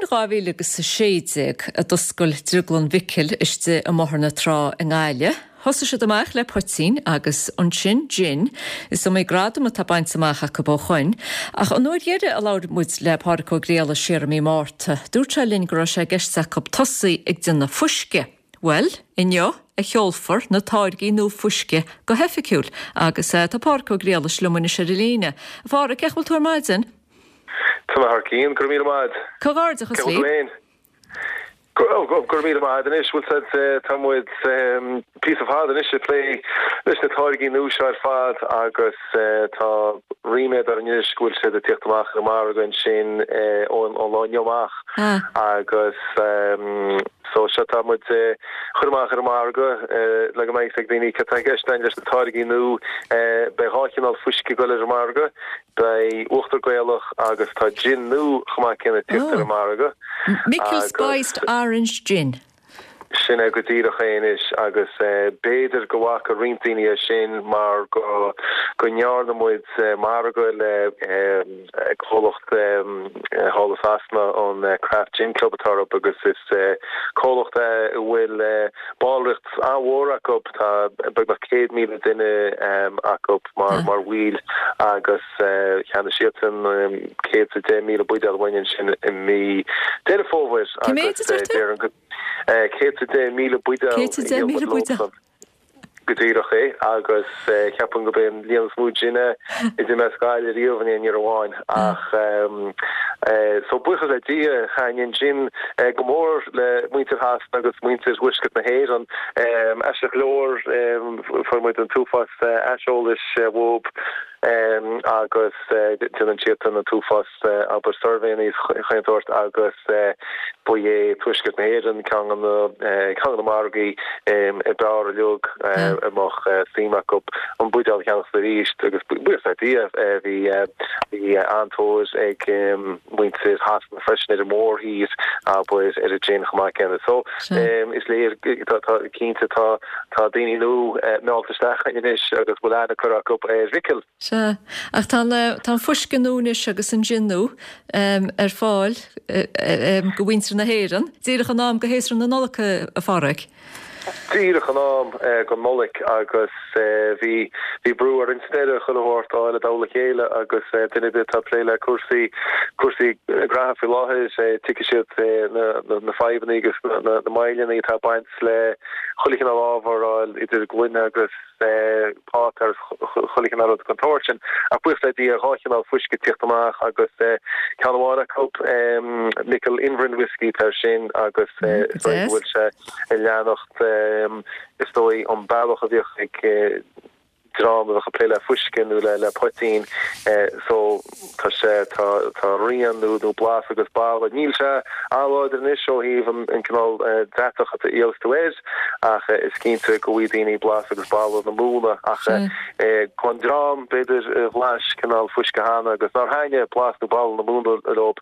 2016 a d'oscail Drioglann Mhicil istigh i mBóthar na Trá i nGaillimh. Thosaigh siad amach le poitín agus ansin gin. Is iomaí gradam atá bainte amach acu ó shoin. Ach an uair dheiridh a labhair muid le Pádraic Ó Griallais siar i mí Márta, dúirt sé linn go raibh sé i gceist acu tosaí ag déanamh fuisce. Bhuel, inniu a sheolfar na táirgí nua fuisce go hoifigiúil agus tá Pádraic Ó Griallais liom anois ar an líne. A Phádraic, cén chaoi a bhfuil tú ar maidin? Tá mé thar cionn, go raibh míle maith agat. Comhghairdeachas Cén chaoi a bhfuil tú leat. féin? Go raibh míle maith agat anois, bhfuil 's agat, tá muid píosa fada anois ag plé leis na táirgí nua seo ar fad agus tá ríméad orainn anois go bhfuil siad ag tíocht amach ar an margadh ansin ón lá inniu amach agus so seo tá muid ag cur amach ar an margadh le go mbeidh 'fhios ag daoine cad tá i gceist againn leis na táirgí nua. Beidh 2 chineál fuisce ag dul ar an margadh. Beidh uachtar Gaelach agus tá gin nua chomh maith céanna ag tíocht ar an margadh. Micil Spiced Orange Gin. Sin é go díreach é anois agus b'fhéidir go bhfaca roinnt daoine é sin mar go go ndearna muid margadh le comhlacht thall i Sasana, an Craft Gin Club atá orthu agus is comhlacht é a bhfuil ballraíocht an-mhór acu, tá beagnach 100,000 duine acu. mar mar bhaill agus cheannaigh siadsan 110,000 buidéal uainn ansin i mí Deireadh Fómhair Cé mhéad agus a deir tú? déarfainn go 110,000 buidéal a 110,000 dhíol muid buidéal. leosan. Go díreach é agus ceapaim gurb é an líon is mó gin a d'imigh as Gaillimh riamh in aon uair amháin ach so buíochas le Dia thaitin an gin go mór le muintir Shasana agus muintir Thuaisceart na hÉireann. Aisteach go leor fuair muid an t-uafás aiseolais uathu agus déanann siadsan an t-uafás abair suirbhéanna is chaon tsórt agus ba é Tuaisceart na hÉireann ceann de na ceann de na margaí ab fhearr uilig a mbeadh suim acu an buidéal a cheannacht arís agus buíochas le Dia bhí bhí an-tóir ag muintir Shasana freisin ar an mórthír abair ar an gin chomh maith céanna. So is léir tá cinnte tá Tá daoine nua meallta isteach againn anois agus bhfuil aithne curtha acu ar Mhicil. Sea, ach tá an, tá an fuisce nua anois agus an jin nua ar fáil go mhuintir na hÉireann, díreach in am go shéasúr na Nollag, a Phádraig. Díreach in am don Nollaig agus bhí, bhí brú orainn sa deireadh chuile shórt a fháil i dtoll a chéile agus duine ar bith atá ag plé le cúrsaí, cúrsaí graithe faoi láthair, tuigfidh siad na, na fadhbanna agus na, na moilleanna atá ag baint le chuile chineál ábhar a fháil, idir gloine agus páipéar agus chuile chineál rud den tsórt sin. Ach buíochas le Dia, 2 chineál fuisce ag tíocht amach agus ceann amháin acu, Micil Inverin Whiskey atá air sin agus is dóigh go bhfuil sé ag leanacht, is dóigh, an bealach a bhíodh ag dream a bheadh ag plé le fuisce nó le poitín so tá sé, tá, tá rian nó, nó blas agus boladh. Níl sé an-láidir anois ó thaobh an, an cineál deatach a gheobhas tú air ach is cinnte go bhfaighidh daoine blas agus boladh na móna ach don dream b'fhéidir a bhlais cineál fuisce cheana agus nár thaitnigh blas nó boladh na móna leo,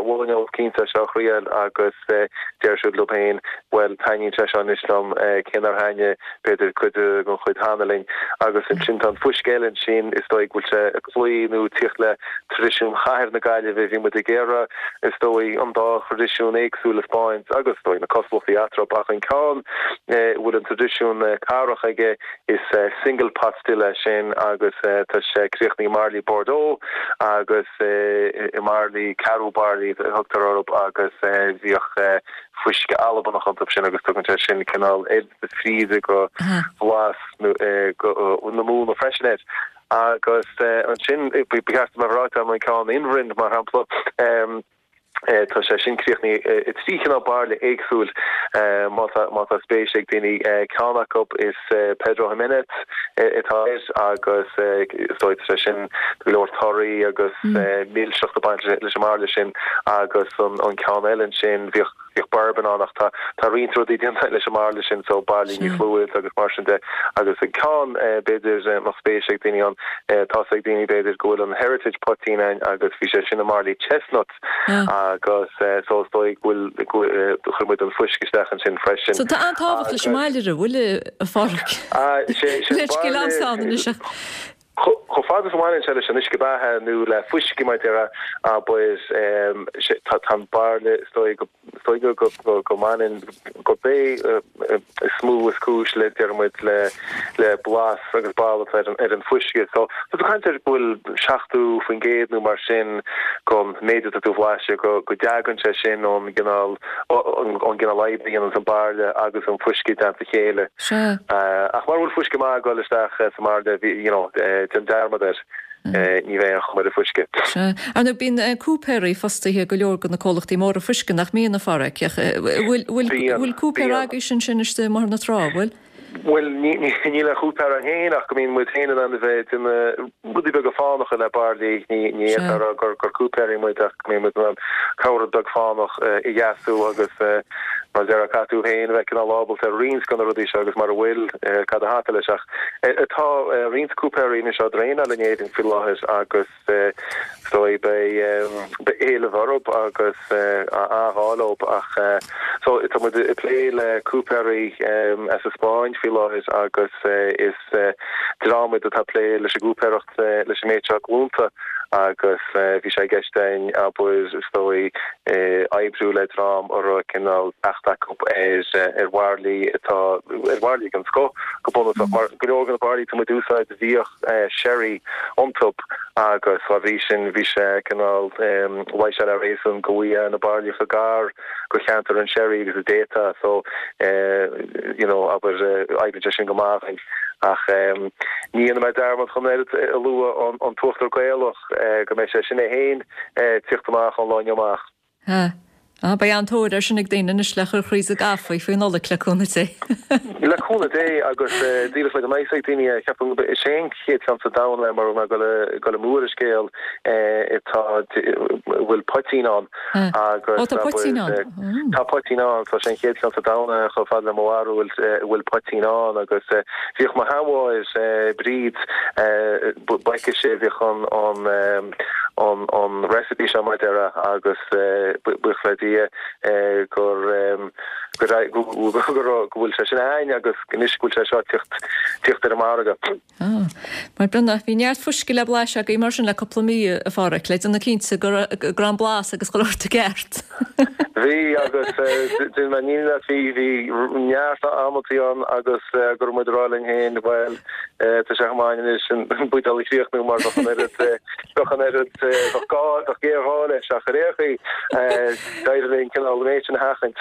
mholfainn dóibh cinnte é seo a thriail agus deir siad leo féin bhuel taitníonn sé seo anois liom cé nár thaitnigh b'fhéidir cuid den chuid cheana linn. Agus ansin tá an fuisce eile ansin, is dóigh go bhfuil sé ag cloí nó ag tíocht le traidisiún chathair na Gaillimhe. Bhí muid ag iarraidh, is dóigh, an dá thraidisiún éagsúil a 'speáint agus is dóigh na cosúlachtaí eatarthu ach an ceann a bhfuil an traidisiún cathrach aige is single pot still é sin agus tá sé críochnaithe i mbairillí Bordeaux agus i mbairillí, ceathrú bairillí a thugtar orthu agus bhíodh fuisce Albanach iontu sin agus tugann sé sin cineál oiread fríde go bhlas na móna freisin air. Agus ansin, ba cheart dom a bheith ráite agam an ceann Inverin, mar shampla, tá sé sin críochnaithe i dtrí chineál bairille éagsúil, má tá spéis ag daoine. Ceann acu is Pedro Ximénez atá air agus is dóigh tá sé sin go leor torthaí agus milseacht ag baint leis an mbairille sin agus an ceann eile ansin bhíodh bhíodh bourbon ann ach tá tá roinnt rudaí déanta leis an mbairille sin so bairillí níos lú agus mar sin de agus an ceann b'fhéidir mbeadh spéis ag daoine ann tá's ag daoine b'fhéidir go bhfuil an heritage poitín ann agus bhí sé sin i mbairillí chestnut agus so is dóigh go bhfuil chuir muid an fuisce isteach ansin freisin. So tá an-tábhacht leis an mbairille, bhfuil a Phádraig? Sé Leithscéal ann anois ach. Chomh fada is a bhaineann sé leis an uisce beatha nó le fuisce mar a déarfá, abair, tá an bairille, is dóigh go, is dóigh go, go, go mbaineann, gurb é is mó is cúis le, déarfaidh muid, le, le blas agus boladh atá ar an, ar an fuisce. So, tá tú ag caint ar go bhfuil 70% nó mar sin den méid atá tú a bhlaiseadh, go, go dtagann sé sin ón gcineál, ón gcineál oibre a dhéananns an bairille agus an fuisce i dteannta a chéile. Sea. Ach mara bhfuil fuisce maith ag dul isteach sa mbairille, bhí, you know, déan dearmad air, ní bheidh aon chuma ar an fuisce. Sea. Ar ndóigh, bíonn cúipéirí fostaithe ag go leor de na comhlachtaí móra fuisce, nach mbíonn, a Pháraic? Ach bhfuil, bhfuil, bhfuil cúipéir agaibhse ansin istigh i mBóthar na Trá, bhfuil? Bhuel, níl aon chúipéir againn féin ach go mbíonn muid féin in ann a bheith ag déanamh rudaí beaga fánacha le bairillí. Ní fhéadfá a rá gur cúipéirí muid ach go mbíonn muid in ann corr-rud beag fánach a dheasú agus mar a déarfá caithfidh tú féin a bheith cineál ábalta ar roinnt de na rudaí seo agus mara bhfuil, cad a thaca leis. Ach tá roinnt cúipéirí anois á dtraenáil in Éirinn faoi láthair agus. Is dóigh beidh éileamh orthu agus an-ghá leo ach so tá muid ag plé le cúipéirí as an Spáinn faoi láthair agus is dream iad atá ag plé leis an gcúipéireacht leis an méid seo glúnta agus bhí sé i gceist againn abair is dóigh oibriú le dream a raibh cineál teacht acu ar bhairillí atá ar bhairillí den scoth go bunúsach mar go leor de na bairillí atá muid a úsáid bhíodh sherry iontu agus dá bhrí sin bhí sé cineál, luigh sé le réasún go bhfaighfeá na bairillí chomh gar go cheantar an sherry agus a d'fhéadfá so you know abair oibríonn sé sin go maith againn. Ach ní dhéanfaidh mé dearmad chun oiread a lua an t-uachtar Gaelach go mbeidh sé sin é féin tíocht amach ón lá inniu amach. Ah. Ah, beidh an-tóir air sin ag daoine anois le cur thríd an gcaife faoi Nollaig, le cúnamh Dé. Le cúnamh Dé, agus díreach le go mbeidh a fhios ag daoine, ceapaim gurb é an chéad cheann sa domhan le mura mbeidh ag dul amú ar an scéal atá, a bhfuil poitín ann agus Ó, tá poitín ann. Tá poitín ann, so sé an chéad cheann sa domhan é chomh fada le mo bharúil a bhfuil poitín ann agus bhíodh mo sheanmháthair, Bríd, ba aici a bhíodh an an recipe seo mar a déarfá agus buíochas le Dia gur go go bhfuil sé sin againn agus anois go bhfuil sé seo tíocht tíocht ar an margadh. Ah, mar bronnadh. Bhí neart fuisce le blaiseadh agaibh mar sin le cúpla mí, a Pháraic, le déanamh cinnte go raibh an blas agus chuile shórt i gceart. Bhí agus déanfaidh mé ní leat bhí bhí neart amantaí ann agus go raibh muid ag rá linn féin bhuel Tá sé chomh maith anois an buidéal a chríochnú mar bheadh an oiread, bheadh an oiread, bheadh gá, bheadh géarghá leis ach ar aon chaoi, d'éirigh linn cineál an méid sin a sheachaint.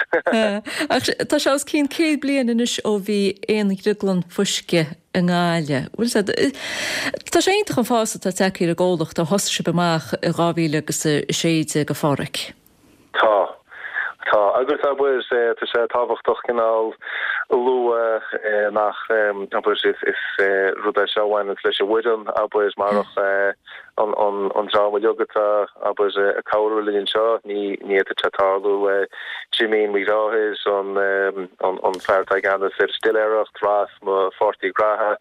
Ach tá sé os cionn 100 bliain anois ó bhí aon dhrioglann fuisce i nGaillimh. Bhfuil sé, tá sé iontach an fás atá tagtha ar an gcomhlacht ó thosaigh sibh amach i 2016, a Pháraic. Tá. Tá. Agus abair, tá sé tábhachtach cineál a lua nach, abair, is rud é seo a bhaineanns leis an bhfoireann, abair, marach an dream uilig atá, abair, ag cabhrú linn anseo, ní fhéadfadh sé tarlú. Jimín, mo dheartháir, an fear atá i gceannas ar an stiléireacht, Ross, mo pháirtí graithe,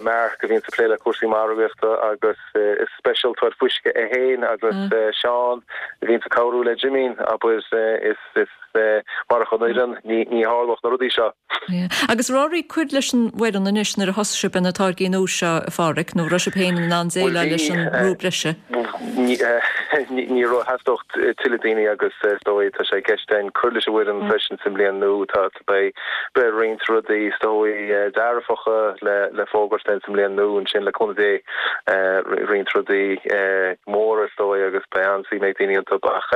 Mark, a bhíonns ag plé le cúrsaí margaíochta agus, Is speisialtóir fuisce é féin agus Seán a bhíonns ag cabhrú le Jimín, abair, is marach an fhoireann ní tharlódh na rudaí seo. Agus raibh oraibh cur leis an bhfoireann anois nuair a thosaigh sibh ar na táirgí nua seo, a Pháraic, nó raibh sibh féin in ann déileáil leis an mbrú breise? Ní raibh, theastódh tuilleadh daoine agus is dóigh tá sé i gceist againn cur leis an bhfoireann freisin sa mbliain nua. Tá. Beidh roinnt rudaí is dóigh dearfacha le fógairt againn sa mbliain nua ansin le cúnamh Dé, roinnt rudaí móra is dóigh agus beidh an-suim ag daoine iontu ach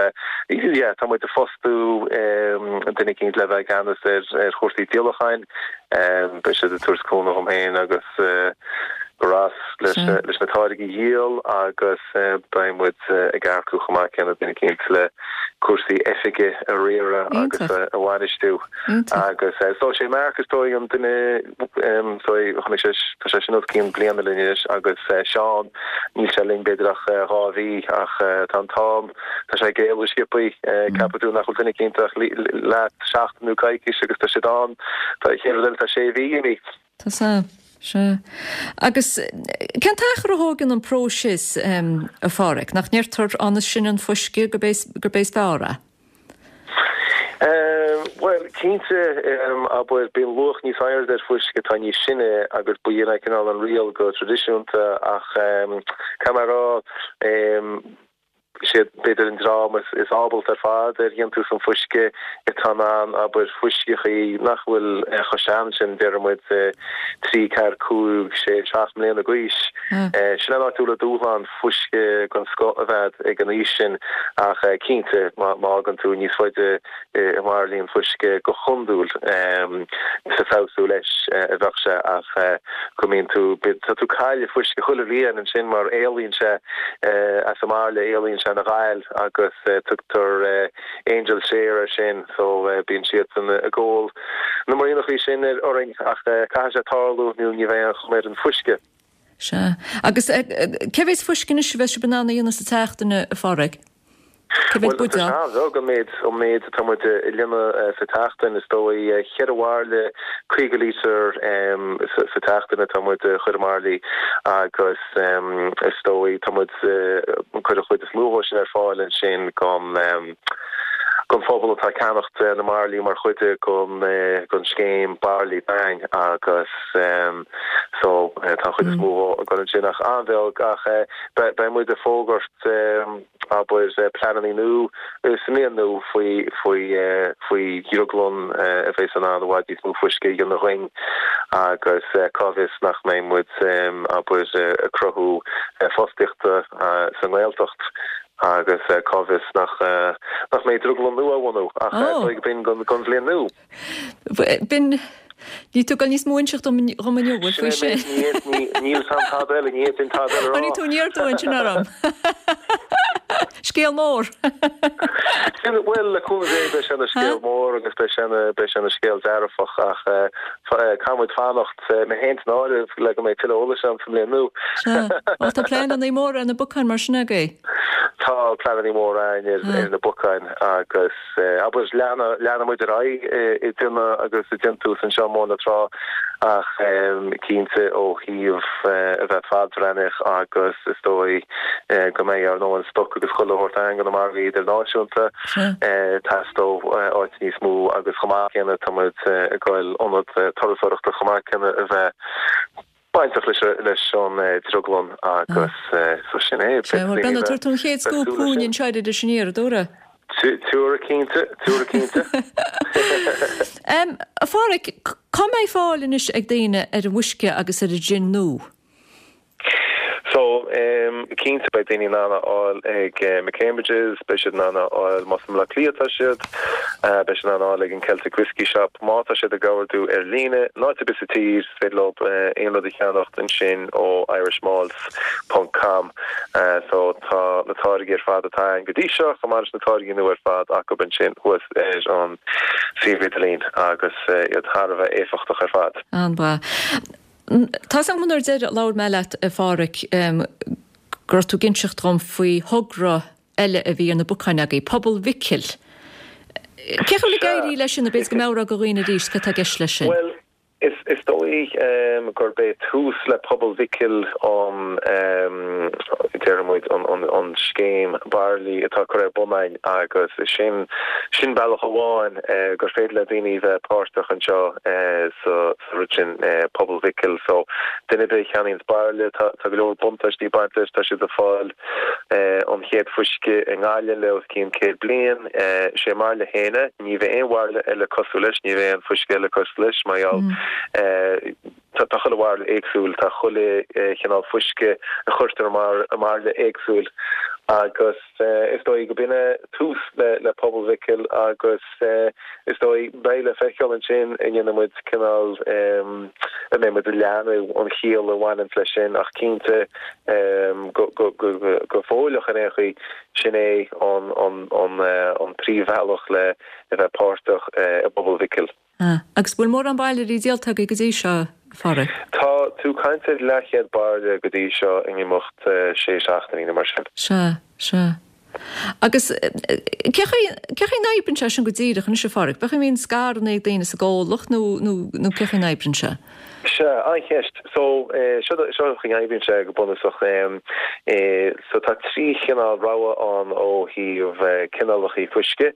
yeah tá muid ag fostú duine eicínt le bheith i gceannas ar chúrsaí díolacháin, beidh siad ag tabhairt cúnamh dhom féin agus do Ross leis na táirgí a dhíol agus beidh muid ag earcú chomh maith céanna duine eicínt le cúrsaí oifige a riaradh agus a bhainistiú agus so sé Mark is dóigh an duine is dóigh chonaic sé tá sé sin os cionn bliana linn anois agus Seán níl sé linn b'fhéidir ach 2 mhí ach tá an t-am tá sé ag éalú sciobthaí ceapann tú nach bhfuil duine eicínt ach leat seachtain nó coicís agus tá siad ann tá chéad rud eile tá sé mhí imithe. Tá sea, sea. Agus cén t-achar a thógann an próiseas, a Pháraic? Nach ndeirtear an sine an fuisce gurb é is fearr é? Bhuel, cinnte, abair, bíonn luach níos airde ar fuisce atá níos sine agus b'in é cineál an riail go traidisiúnta ach caithfidh mé a rá, is iad b'fhéidir an dream is ábalta ar fad ar dhéantús an fuisce atá in ann, abair, fuisceachaí nach bhfuil chomh sean sin, déarfaidh muid 3, 4, 5, 6, 7 mbliana d'aois. Sin an áit a bhfuil an dúshlán fuisce den scoth a bheith ag an aois sin ach cinnte má fhágann tú níos faide i mbairillí an fuisce go hiondúil is ag feabhsú leis a bheadh sé ach go mbíonn tú, tá tú ag cailleadh fuisce chuile bhliain ansin mar éalaíonn sé as an mbairille, éalaíonn sé ina ghal agus tugtar angel share air sin so bíonn siadsan ag ól na muiríneachaí sin orainn ach caithfidh sé tarlú nó ní bheidh aon chuma ar an fuisce. Sea. Agus cé mhéad fuisce anois a bheas sibh in ann a dhéanamh sa tseachtain, a Pháraic? Cé mhéad Bhuel, tá sé an-bheag an méid, an méid atá muid a líonadh sa tseachtain. Is dóigh cheithre bhairille 50 lítear sa tseachtain atá muid a chur i mbairillí agus is dóigh tá muid ag cur an chuid is mó dhó sin ar fáil ansin gon gon phobal atá ag ceannacht na mbairillí mar chuid gon scéim Bairillí Dúinn agus so tá an chuid is mó dhó ag dul ansin ach an-bheag ach beidh muid ag fógairt abair, pleananna nua sa mbliain nua faoi faoi faoi dhrioglann a bheas in ann i bhfad níos mó fuisce a dhéanamh dhuinn agus cá bhfios nach mbeidh muid, abair, ag cruthú fostaíochta sa nGaeltacht agus cá bhfios nach nach mbeidh drioglann nua á bhunú ach oh. b'in don bhliain nua. B'in Níl tú ag dul níos mó a inseacht dom inniu, bhfuil faoi sin? Níl san tada eile, ní fhéadfainn tada eile a rá. Tháinig tú aniar aduaidh ansin orm. Scéal mór. Bhuel, le cúnamh Dé beidh sé ina scéal mór agus beidh sé ina beidh sé ina scéal dearfach ach caithfidh muid fanacht, mé féin san áireamh, le go mbeidh tuilleadh eolais ann sa mbliain nua. Sea. Ó tá pleananna móra ar na bacáin mar sin agaibh. Tá pleananna móra againn ar na bacáin agus. Abair, leanfaidh muid ar aghaidh ag déanamh agus ag déantús anseo i mBóthar na Trá ach cinnte ó thaobh a bheith fadbhreathnaitheach agus is dóigh go mbeidh ár ndóthain stoc agus chuile shórt againn do na margaí idirnáisiúnta, teastóidh áit níos mó agus chomh maith céanna tá muid ag goil ionad turasóireachta chomh maith céanna a bheith bainteach leis an drioglann agus so sin é. Sea, bhuel Brendan, tabharfaidh tú an chéad scúp chugainn anseo ar Iris Aniar, an dtabharfaidh? Tabharfaidh cinnte, tabharfaidh cinnte. A Pháraic, cá mbeidh fáil anois ag daoine ar an bhfuisce agus ar an jin nua? So, cinnte beidh daoine in ann a fháil ag McCambridges, beidh siad in ann a fháil más i mBaile Átha Cliath atá siad, beidh siad in ann a fháil ag an Celtic Whiskey Shop. Má tá siad ag ordú ar líne, in áit ar bith sa tír, is féidir leo aon rud a cheannacht ansin ó irishmalts ponc com. So tá na táirgí ar fad atá againn go dtí seo, chomh maith leis na táirgí nua ar fad acu ansin thuas ar an suíomh idirlín agus iad thar a bheith éifeachtach ar fad. An-mhaith. Tá's agam an uair deireadh a labhair mé leat, a Pháraic, go raibh tú ag inseacht dhom faoi thogra eile a bhí ar na bacáin agaibh, Pobal Mhicil. Cén chaoi a bhfuil ag éirí leis sin, nó b'fhéidir go meabhrófá do dhaoine arís cad tá i gceist leis sin? Bhuel, is dóigh gurb é tús le Pobal Mhicil an, déarfaidh muid, an scéim bairillí atá curtha ar bun againn agus sin, sin bealach amháin gur féidir le daoine bheith páirteach anseo sa rud sin, Pobal Mhicil. So, duine ar bith a cheannaíonns bairille, tá go leor buntáistí ag baint leis, tá siad ag fáil an chéad fuisce i nGaillimh le os cionn 100 bliain. Sé a mbairille féin é, ní bheidh aon bhairille eile cosúil leis, ní bheidh aon fuisce eile cosúil leis, mar gheall tá chuile bhairille éagsúil, tá chuile chineál fuisce a chuirtear i mbairille éagsúil agus is dóigh go b'in é tús le Pobal Mhicil agus is dóigh beidh le feiceáil ansin an ndéanfaidh muid cineál an mbeidh muid ag leathnú an chiall a bhaineanns leis sin ach cinnte go fóilleach ar aon chaoi sin é an príomhbhealach le a bheith páirteach i bPobal Mhicil. Ah, agus bhfuil mórán bairillí díolta agaibh go dtí seo, a Pháraic? Tá tú ag caint ar leathchéad bairille go dtí seo in imeacht sé seachtainí nó mar sin. Sea, sea. Agus cé chaoi, cé chaoi a n-oibríonn sé sin go díreach anois, a Pháraic? B'é a mbíonn scaireanna ag daoine sa gcomhlacht nó, nó, nó cé chaoi a n-oibríonn sé? Sea, an-cheist. So, seo seo an chaoi a oibríonn sé go bunúsach. So tá 3 chineál rogha ann ó thaobh cineálacha fuisce.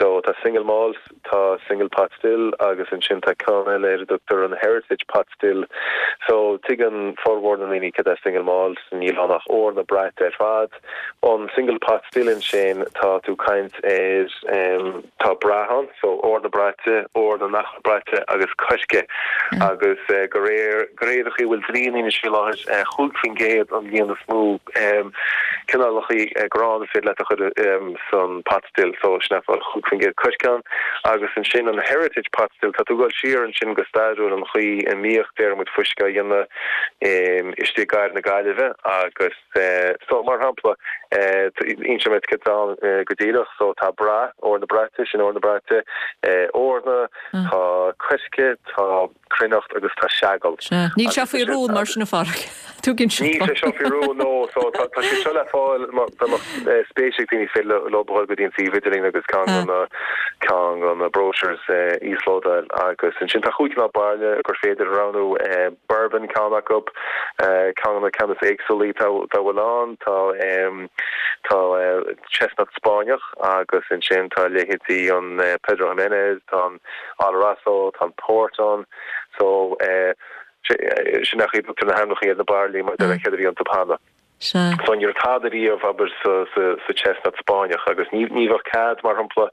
So tá single malt, tá single pot still agus ansin tá ceann eile ar a dtugtar an heritage pot still. So tuigeann formhór na ndaoine cad é single malt, níl ann ach eorna braite ar fad. An single pot still ansin tá tú ag caint ar tá brath ann, so eorna braite, eorna nach bhfuil braite agus coirce. Agus de réir de réir an chaoi a bhfuil dlí an anois faoi láthair, 5% an líon is mó cineálacha grán is féidir leat a chur san pot still, so sin é 5% coirce ann. Agus ansin an heritage pot still, tá tú ag dul siar ansin go stairiúil an chaoi a mbíodh, déarfaidh muid, fuisce á dhéanamh istigh i gcathair na Gaillimhe agus. So, mar shampla, inseoidh mé duit céard atá ann go díreach. So, tá brath, eorna braite, sin eorna braite, eorna, tá coirce, tá cruithneacht agus tá seagal. Sea. Níl sé faoi rún mar sin, a Pháraic. Tuigeann siad. Níl sé seo faoi rún, no. So, tá sé seo le fáil, má dá mbeadh spéis ag daoine, is féidir leo a dhul go dtí an suíomh idirlín agus ceann de na, ceann de na brochures a íoslódáil. Agus ansin tá chúig chineál bairille gur féidir a roghnú. Bourbon ceann acu. Ceann de na ceann is éagsúlaí dá bhfuil ann, tá tá chestnut Spáinneach agus ansin tá leithéidí an Pedro Ximénez, tá an Oloroso, tá an Port ann. So sin é an chaoi a dtugtar na hainmneacha ar na bairillí mar céard a bhí iontu cheana. Sea. So ní raibh tada riamh, abair, sa, sa, sa chestnut Spáinneach agus ní, ní bheadh cead, mar shampla,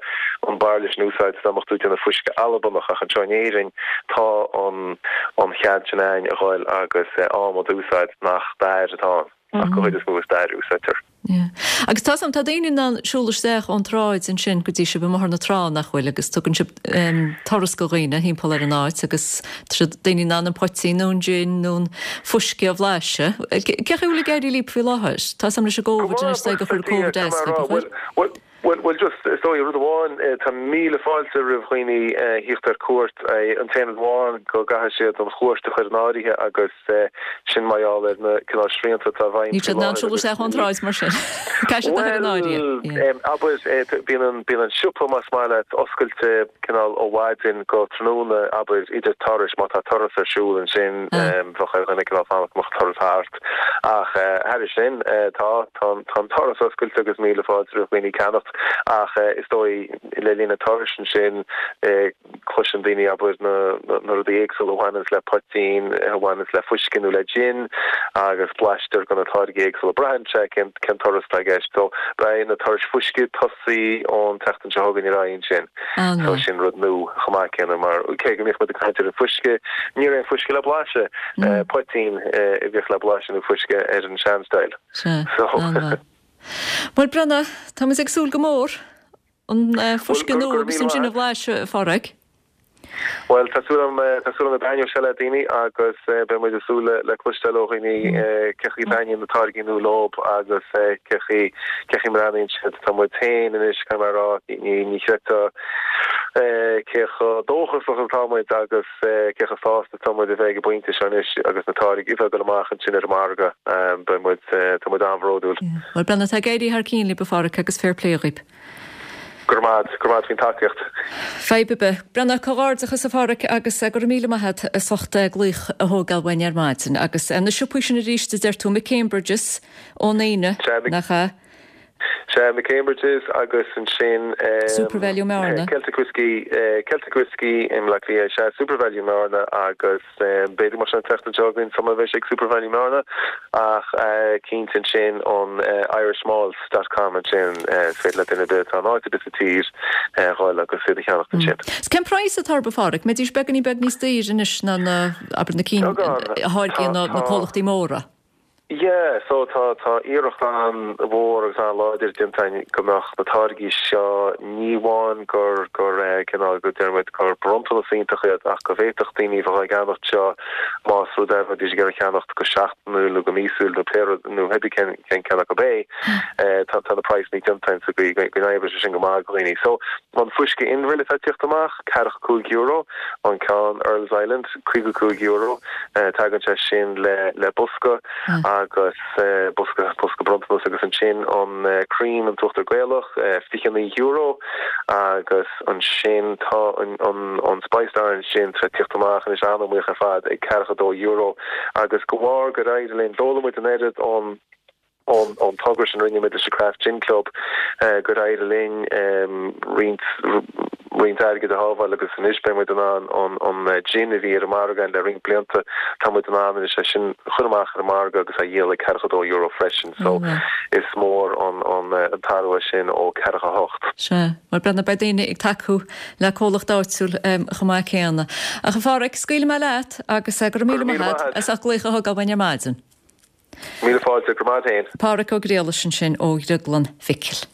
an bairille sin a úsáid dá mbeadh tú ag déanamh fuisce Albanach ach anseo in Éirinn tá an, an chead sin a'inn a dhul agus adhmad a úsáid nach dair atá ann ach go chuid is mó is dair a úsáidtear. Yeah. Agus tá 's a'm, tá daoine in ann siúl isteach ón tsráid ansin go dtí sibh i mBóthar na Trá, nach bhfuil, agus tugann sibh turas go dhaoine thimpeall ar an áit agus Tá daoine in ann an poitín nó an jin nó an fuisce a bhlaiseadh. Cén chaoi a bhfuil ag éirí libh faoi láthair? Tá 's a'm leis an gCóvid anois, is gur chuir Covid as libh, an bhfuil? Bhuel, bhuel, bhuel, just, is dóigh, rud amháin, tá míle fáilte roimh dhaoine thíocht ar cuairt. An t-aon rud amháin go gcaithfidh siad an chuairt a chur in áirithe agus sin mar gheall ar na cineál srianta atá i bhfeidhm Níl siad in ann siúl isteach ón tsráid mar sin. Caithfidh siad a chur in áirithe. Bhuel, abair, bíonn an, bíonn an siopa, más maith leat, oscailte cineál ó mhaidin go tráthnóna, abair, idir turais, má tá turas ar siúl ansin, bheadh ar dhuine cineál fanacht go mbeadh an turas thart. Ach thairis sin, tá, tá an, tá an doras oscailte agus míle fáilte roimh dhaoine ceannacht. Ach is dóigh, le linn an turais ansin, cloiseann daoine, abair, na, na rudaí éagsúla a bhaineanns le poitín, a bhaineanns le fuisce nó le jin agus blaistear de na táirgí éagsúla. Braitheann sé cén, cén turas atá i gceist. So, beidh na turais fuisce ag tosaí ón tseachtain seo chugainn ar aghaidh ansin. So sin rud nua chomh maith céanna mar cé go mbíodh muid ag caint ar an fuisce, ní raibh aon fuisce le blaiseadh. Poitín a bhíodh le blaiseadh nó fuisce ar an sean-style. Sea, an-mhaith. Bhuel Breandán, tá muid ag súil go mór an fuisce nua agus an jin a bhlaiseadh, a Pháraic. Bhuel, tá súil agam, tá súil agam go dtaitneoidh sé le daoine agus beidh muid ag súil le cloisteáil ó dhaoine cén chaoi a dtaitníonn na táirgí nua leo agus cén chaoi, cén chaoi a mbreathnaíonn siad. Tá muid féin anois, caithfidh mé a rá, ní, ní chreidfeá cé chomh dóchasach atá muid agus cé chomh sásta atá muid a bheith ag an bpointe seo anois agus na táirgí a bheith ag dul amach ansin ar an margadh. Beidh muid, tá muid an-bhródúil. Bhuel, Breandán, tá ag éirí thar cionn libh, a Pháraic, agus fair play dhaoib. Go raibh maith agat, go raibh maith agat faoin tacaíocht. Fadhb ar bith. Breandán, comhghairdeachas a Pháraic agus go raibh míle maith agat as ucht glaoch a thógáil uainn ar maidin. Agus na siopaí sin arís a deir tú, McCambridges ón Aoine, nach ea? Sea, McCambridges agus ansin Supervalu i mBearna. Celtic Whiskey, Celtic Whiskey i mBleá Cliath, sea, Supervalu i mBearna agus. B'fhéidir go mbeadh sé an tseachtain seo chugainn sula mbeidh sé ag Supervalu i mBearna ach cinnte ansin an irishmalts dot com ansin is féidir le duine ar bith atá in áit ar bith sa tír dhul agus iad a cheannacht ansin. Is cén praghas atá orthu a Pháraic? Mbeidís beagáinín beag níos daoire anois ná na, abair, na cinn a tháirgíonn na comhlachtaí móra? Yeah, so tá, tá iarracht an-mhór agus an-láidir déanta againn go mbeadh na táirgí seo, ní amháin gur, gur eh, cineál, go deir muid gur bronntanas iontach iad ach go bhféadfadh daoine a bheith á gceannacht seo más rud é bheidís ag iarraidh ceannacht go seachtainiúil nó go míosúil nó pé rud, nó pé cén, cén ceann acu é, eh, tá, tá na praghsanna déanta againn sa gcaoi go, go n-oibreoidh sé sin go maith do dhaoine. So, an fuisce Inbhir atá ag tíocht amach, ceathracha €5, an ceann Earls Island, €55, tagann sé sin le le bosca. agus bosca bosca bronntanas agus ansin an cream an t-uachtar Gaelach €29 agus ansin tá an an an Spiced Orange Gin tar tíocht amach anois an-iomaíoch ar fad ag €42 agus de bharr gur éirigh linn d'fhoghlaim muid an oiread ón ón togra sin a rinne muid leis an Craft Gin Club gur éirigh linn roinnt roinnt airgid a shábháil agus anois beidh muid in ann an an gin a bhí ar an margadh againn le roinnt blianta, tá muid in ann anois é sin a chur amach ar an margadh agus a dhíol ag ceathracha dó euro freisin so is mór an an an t-athrú é sin ó ceathracha hocht. Sea, mar breathnaigh beidh daoine ag tacú le comhlacht áitiúil chomh maith céanna. Ach a Pháraic, scaoilfidh mé leat agus go raibh míle maith agat as ucht glaoch a thógáil uainn ar maidin. Míle fáilte, go raibh maith agat féin. Páraic Ó Griallais ansin ó Dhrioglann Mhicil.